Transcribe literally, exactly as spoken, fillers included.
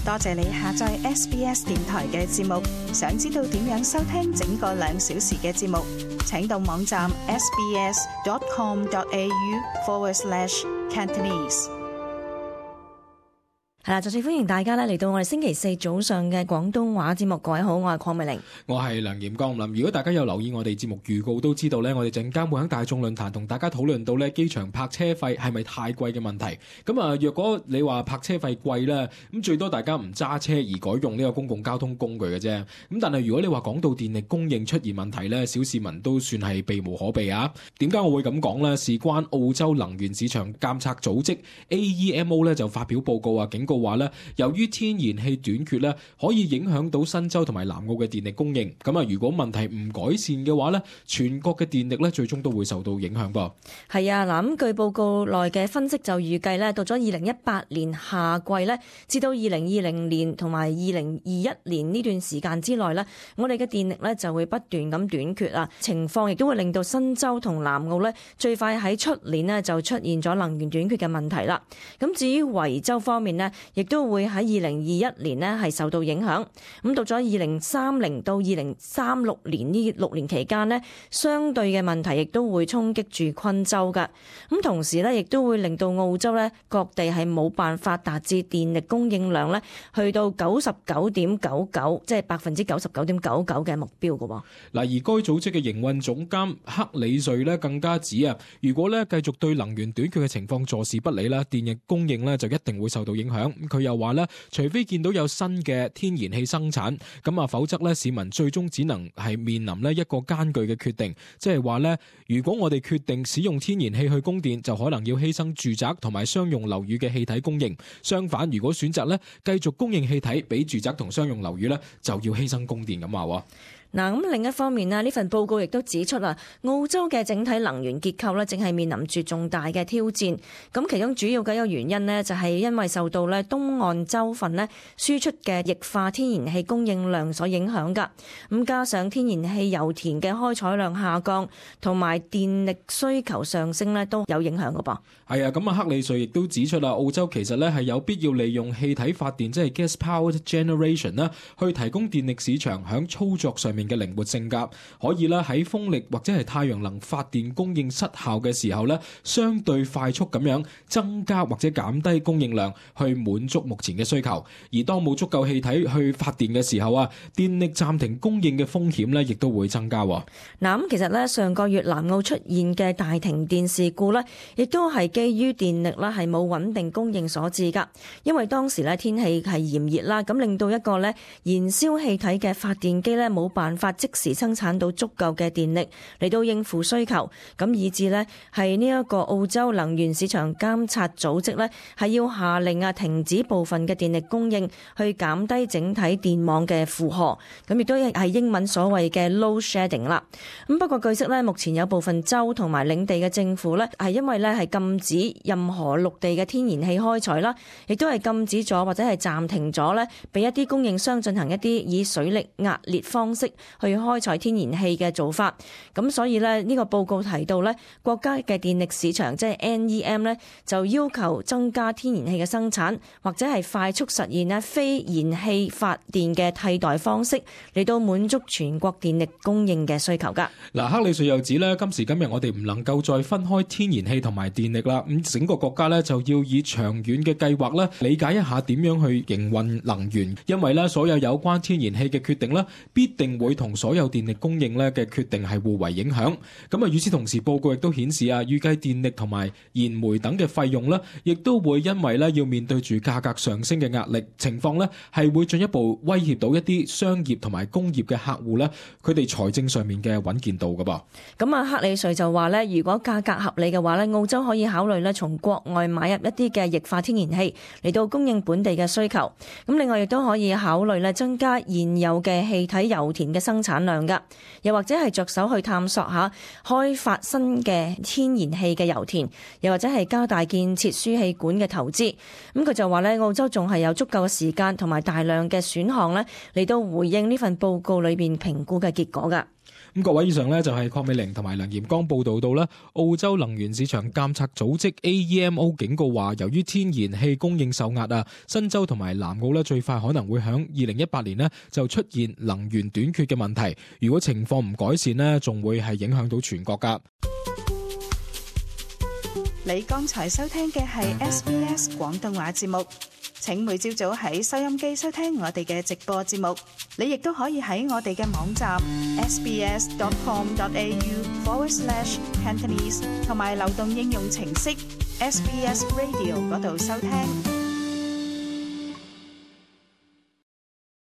多謝你下載 S B S 電台嘅節目。想知道點樣收聽整個兩小時嘅節目，請到網站 sbs.com.au forward slash Cantonese。係啦，再次歡迎大家咧嚟到我哋星期四早上嘅廣東話節目。各位好，我係鄺美玲，我係梁炎光林。如果大家有留意我哋節目預告，都知道咧，我哋陣間會喺大眾論壇同大家討論到咧機場泊車費係咪太貴嘅問題。咁啊，若果你話泊車費貴咧，咁最多大家唔揸車而改用呢個公共交通工具嘅啫。咁但係如果你話講到電力供應出現問題咧，小市民都算係避無可避啊。點解我會咁講咧？事關澳洲能源市場監測組織 A E M O 咧就發表報告啊，警告話咧，由於天然氣短缺咧，可以影響到新州同埋南澳嘅電力供應。咁啊，如果問題唔改善嘅話咧，全國嘅電力咧最終都會受到影響噃。係啊，嗱，咁據報告內嘅分析就預計咧，到咗二零一八年夏季咧，至到二零二零年同埋二零二一年呢段時間之內咧，我哋嘅電力咧就會不斷咁短缺啊。情況亦都會令到新州同南澳咧最快喺出年咧就出現咗能源短缺嘅問題啦。咁至於維州方面咧，亦都會喺二零二一年呢係受到影響，咁到咗二零三零到二零三六年呢六年期間呢，相對嘅問題亦都會衝擊住昆州㗎。咁同時呢，亦都會令到澳洲呢各地係冇辦法達至電力供應量呢去到九十九點九九，即係百分之九十九點九九嘅目標㗎喎。嗱，而該組織嘅營運總監克里瑞呢更加指啊，如果呢繼續對能源短缺嘅情況坐視不理啦，電力供應呢就一定會受到影響。佢又話咧，除非見到有新嘅天然氣生產，咁啊，否則咧市民最終只能係面臨咧一個艱巨嘅決定，即係話咧，如果我哋決定使用天然氣去供電，就可能要犧牲住宅同埋商用樓宇嘅氣體供應；相反，如果選擇咧繼續供應氣體俾住宅同商用樓宇咧，就要犧牲供電咁話。嗱，咁另一方面呢，呢份報告亦都指出啦，澳洲嘅整體能源結構呢，正係面臨住重大嘅挑戰。咁其中主要嘅一個原因呢，就係因為受到咧東岸州份呢輸出嘅液化天然氣供應量所影響㗎。咁加上天然氣油田嘅開採量下降，同埋電力需求上升呢，都有影響㗎噃。係啊，咁啊，克里瑞亦都指出啦，澳洲其實咧係有必要利用氣體發電，即係 gas-powered generation 啦，去提供電力市場響操作上面嘅靈活性格，可以啦喺風力或者係太陽能發電供應失效嘅時候咧，相對快速咁樣增加或者減低供應量，去滿足目前嘅需求。而當冇足夠氣體去發電嘅時候啊，電力暫停供應嘅風險咧，亦都會增加。嗱，咁其實咧上個月南澳出現嘅大停電事故咧，亦都係基於電力啦係冇穩定供應所致噶。因為當時咧天氣係炎熱啦，咁令到一個咧燃燒氣體嘅發電機咧冇辦法即時生產到足夠嘅電力嚟到應付需求，咁以致呢係呢一個澳洲能源市場監察組織呢係要下令啊停止部分嘅電力供應，去減低整體電網嘅負荷，咁亦都係英文所謂嘅 load shedding 啦。咁不過據悉呢，目前有部分州同埋領地嘅政府呢係因為呢係禁止任何陸地嘅天然氣開採啦，亦都係禁止咗或者係暫停咗呢俾一啲供應商進行一啲以水力壓裂方式去開採天然氣嘅做法。咁所以呢，呢個報告提到呢，國家嘅電力市場即係 N E M 呢就要求增加天然氣嘅生產，或者係快速實現呢非燃氣發電嘅替代方式，嚟到滿足全國電力供應嘅需求噶。嗱，克里瑞又指呢，今時今日我哋唔能夠再分開天然氣同埋電力啦，咁整個國家呢，就要以長遠嘅計劃呢理解一下點樣去營運能源，因為呢，所有有關天然氣嘅決定呢，必定會同所有電力供應呢嘅決定係互為影響。咁啊，與此同時，報告亦都顯示啊，預計電力同埋燃煤等嘅費用呢，亦都會因為呢要面對住價格上升嘅壓力，情況呢係會進一步威脅到一啲商業同埋工業嘅客戶呢，佢哋財政上面嘅穩健度噶噃。咁啊，克里瑞就話呢，如果價格合理嘅話呢，澳洲可以考慮呢從國外買入一啲嘅液化天然氣嚟到供應本地嘅需求。咁另外亦都可以考慮呢增加現有嘅氣體油田嘅生產量噶，又或者係着手去探索下開發新嘅天然氣嘅油田，又或者係加大建設輸氣管嘅投資。咁佢就話呢，澳洲仲係有足夠嘅時間同埋大量嘅選項呢嚟到回應呢份報告裏邊評估嘅結果噶。咁各位，以上呢就係鄺美玲同埋梁炎剛報道到啦，澳洲能源市場監察組織 A E M O 警告話，由於天然氣供應受壓啊，新州同埋南澳呢最快可能會響二零一八年呢就出現能源短缺嘅問題。如果情況唔改善呢，仲會係影響到全國噶。你剛才收聽嘅係 S B S 廣東話節目。請每朝早喺收音機收聽我哋嘅直播節目，你亦都可以喺我哋嘅網站 sbs.com.au forward slash Cantonese 同埋流動應用程式 S B S Radio 嗰度收聽。